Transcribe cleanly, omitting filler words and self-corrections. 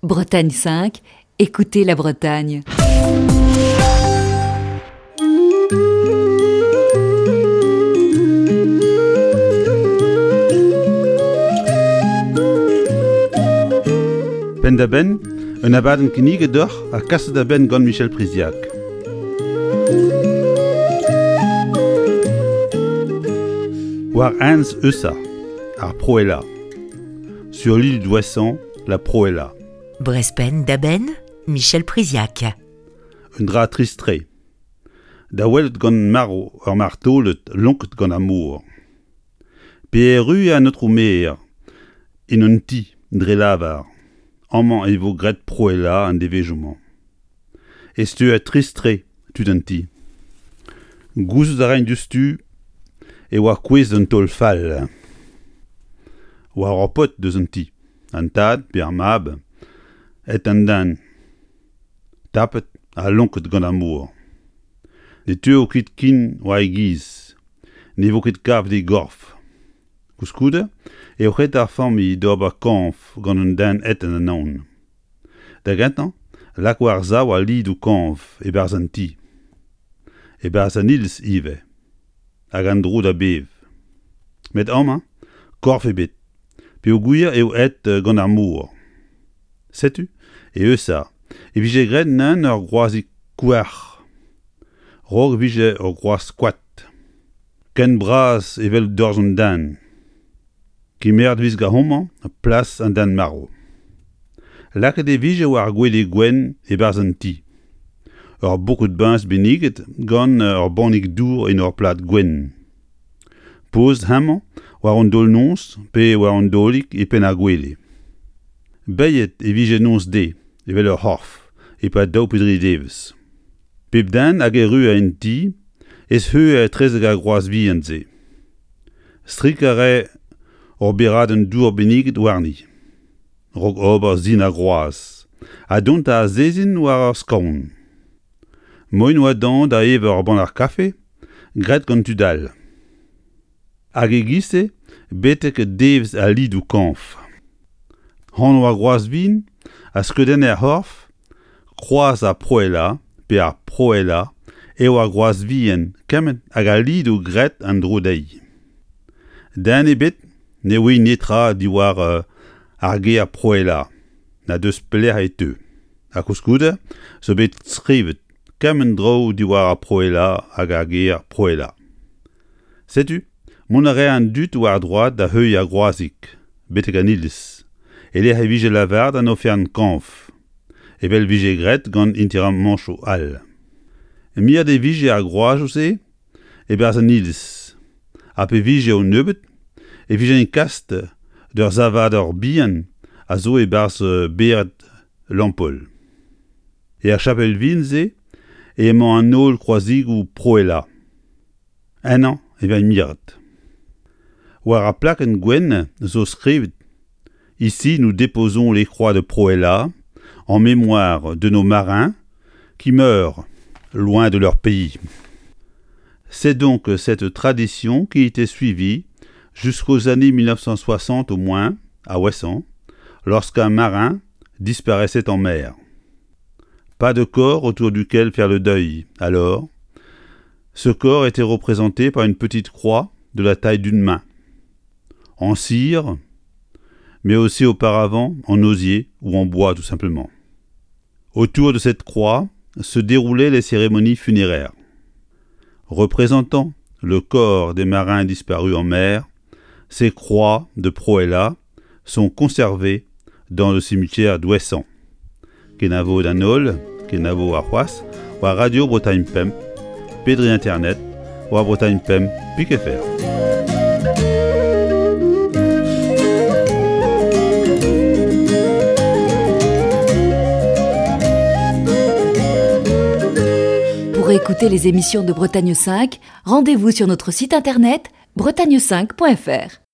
Bretagne 5, écoutez la Bretagne. Penn-da-benn, un abadenn kinniget deoc'h ha kaset da benn gant Michel Priziac. War Enez Eusa, ar Proela. Sur l'île d'Ouessant, la Proela. Brezpenn da benn, Michel Priziac. Un dra trist-tre. Da welet gant marv ur martolod lonket gant ar mor. Pe erru an aotrou maer en un ti dre lavar, amañ e vo graet proelañ an devezhioù-mañ. E steuer trist-tre tud an ti. Gouzout a raent diouzhtu e oa kouezhet un taol fall war ur paotr deus an ti, an tad pe ar mab, aet an den, tapet ha lonket gant ar mor. Ne teuo ket ken war e giz, ne vo ket kavet e gorf. Koulskoude eo ret d'ar familh d'ober kañv gant un den aet en anaon. Da gentañ, lak war-sav al lidoù kañv e-barzh an ti. E-barzh an iliz ivez. Hag an dro da bev. Met amañ, korf ebet, peogwir eo aet gant ar mor. Setu, e Eusa, e vije graet neuze ur groazig kouarc'h. 'Raok e vije ur groaz koad. Ken bras evel dorzh an den. Kemeret e vez gant homañ plas an den marv. Lakaet e vije war ar gwele gwenn e-barzh an ti. Ur boked biñs benniget gant ur bannig dour en ur plad gwenn. Pozet hemañ war an daol-noz pe war an daolig e penn ar gwele. Beilhet e vije noz-deiz evel ur c'horf e-pad daou pe dri devezh. Pep den hag erru en ti ez heue etrezek ar groaz vihan-se. Strikañ a rae ur beradenn dour benniget warni, 'raok ober sin ar groaz, ha dont da azezin war ur skaon. Moaien 'oa dezhañ da evañ ur bannac'h kafe graet gant tud all. Hag e-giz-se betek devezh al lidoù-kañv. Anv ar groaz vihan a skeudenne ar c'horf Kroaz ar Proelañ pe ar Proelañ eo ar groaz vihan kement hag al lidoù graet an dro dezhi. Den ebet ne ouie netra diwar ar ger proelañ na deus pelec'h e teu. Ha koulskoude zo bet skrivet kement draoù diwar ar proelañ hag ar ger proelañ. Setu, mont a rae an dud war droad da heuilh ar groazig betek an iliz, e-lec'h e vije lavaret an oferenn kañv, evel 'vije graet gant interamanchoù all. Miret e vije ar groazoù-se e-barzh an iliz, ha pe vije o nebeut e vijent kast d'ur savadur bihan a zo e-barzh bered Lampaul. Er chapel vihan-se emañ an holl kroazigoù proelañ. Ennañ e vez miret. War ar plakenn gwenn zo skrivet Ici nous déposons les croix de Proella en mémoire de nos marins qui meurent loin de leur pays. C'est donc cette tradition qui était suivie jusqu'aux années 1960 au moins, à Ouessant, lorsqu'un marin disparaissait en mer. Pas de corps autour duquel faire le deuil, alors. Ce corps était représenté par une petite croix de la taille d'une main, en cire, mais aussi auparavant en osier ou en bois tout simplement. Autour de cette croix se déroulaient les cérémonies funéraires. Représentant le corps des marins disparus en mer, ces croix de Proella sont conservées dans le cimetière d'Ouessant. Kenavo d'an holl, kenavo warc'hoazh, war Radio Bretagne Pemp, pe dre internet, war Bretagne Pemp pik fr. Pour écouter les émissions de Bretagne 5, rendez-vous sur notre site internet bretagne5.fr.